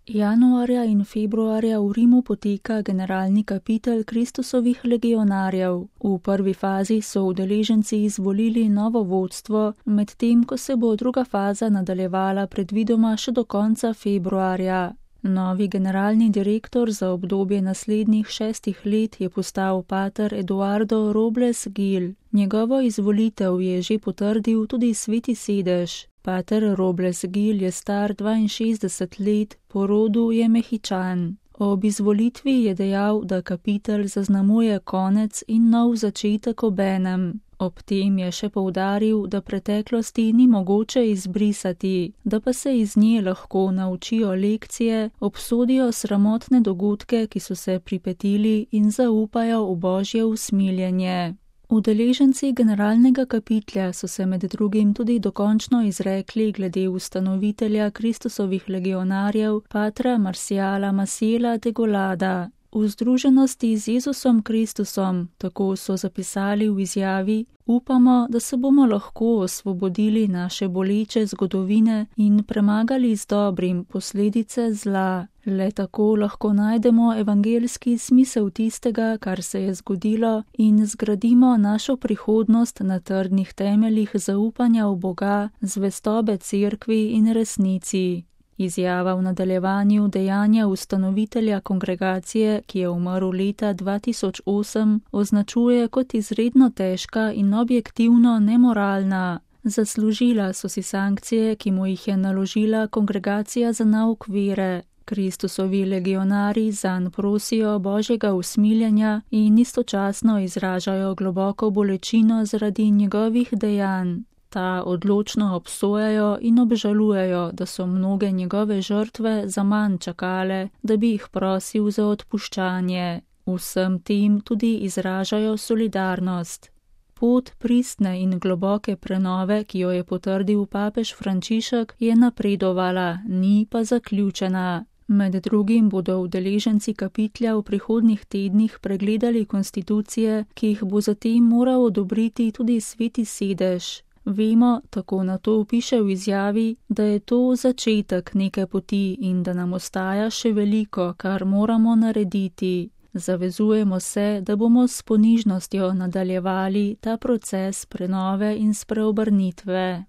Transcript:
Januarja in februarja v Rimu poteka generalni kapitel Kristusovih legionarjev. V prvi fazi so udeleženci izvolili novo vodstvo, medtem ko se bo druga faza nadaljevala predvidoma še do konca februarja. Novi generalni direktor za obdobje naslednjih 6 let je postal pater Eduardo Robles Gil. Njegovo izvolitev je že potrdil tudi Sveti sedež. Pater Robles Gil je star 62 let, po rodu je Mehičan. Ob izvolitvi je dejal, da kapitel zaznamuje konec in nov začetek obenem. Ob tem je še poudaril, da preteklosti ni mogoče izbrisati, da pa se iz nje lahko naučijo lekcije, obsodijo sramotne dogodke, ki so se pripetili, in zaupajo v Božje usmiljenje. Udeleženci generalnega kapitlja so se med drugim tudi dokončno izrekli glede ustanovitelja Kristusovih legionarjev, patra Marciala Maciela de Golada. V združenosti z Jezusom Kristusom, tako so zapisali v izjavi, upamo, da se bomo lahko osvobodili naše boleče zgodovine in premagali z dobrim posledice zla. Le tako lahko najdemo evangeljski smisel tistega, kar se je zgodilo, in zgradimo našo prihodnost na trdnih temeljih zaupanja v Boga, zvestobe cerkvi in resnici. Izjava v nadaljevanju dejanja ustanovitelja kongregacije, ki je umrl leta 2008, označuje kot izredno težka in objektivno nemoralna. Zaslužila so si sankcije, ki mu jih je naložila kongregacija za nauk vere. Kristusovi legionarji zanj prosijo Božjega usmiljenja in istočasno izražajo globoko bolečino zaradi njegovih dejanj. Ta odločno obsojajo in obžalujejo, da so mnoge njegove žrtve zaman čakale, da bi jih prosil za odpuščanje. Vsem tem tudi izražajo solidarnost. Pot pristne in globoke prenove, ki jo je potrdil papež Frančišek, je napredovala, ni pa zaključena. Med drugim bodo udeleženci kapitlja v prihodnjih tednih pregledali konstitucije, ki jih bo zatem moral odobriti tudi Sveti sedež. Vemo, tako na to piše v izjavi, da je to začetek neke poti in da nam ostaja še veliko, kar moramo narediti. Zavezujemo se, da bomo s ponižnostjo nadaljevali ta proces prenove in spreobrnitve.